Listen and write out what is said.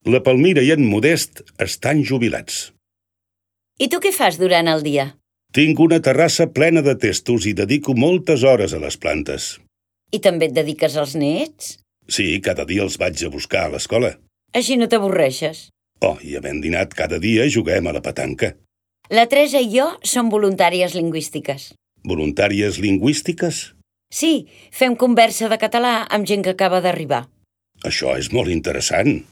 La Palmira i en Modest estan jubilats. I tu què fas durant el dia? Tinc una terrassa plena de testos i dedico moltes hores a les plantes. I també et dediques als nets? Sí, cada dia els vaig a buscar a l'escola. Així no t'avorreixes. Oh, i havent dinat cada dia juguem a la petanca. La Teresa i jo som voluntàries lingüístiques. Voluntàries lingüístiques? Sí, fem conversa de català amb gent que acaba d'arribar. Això és molt interessant.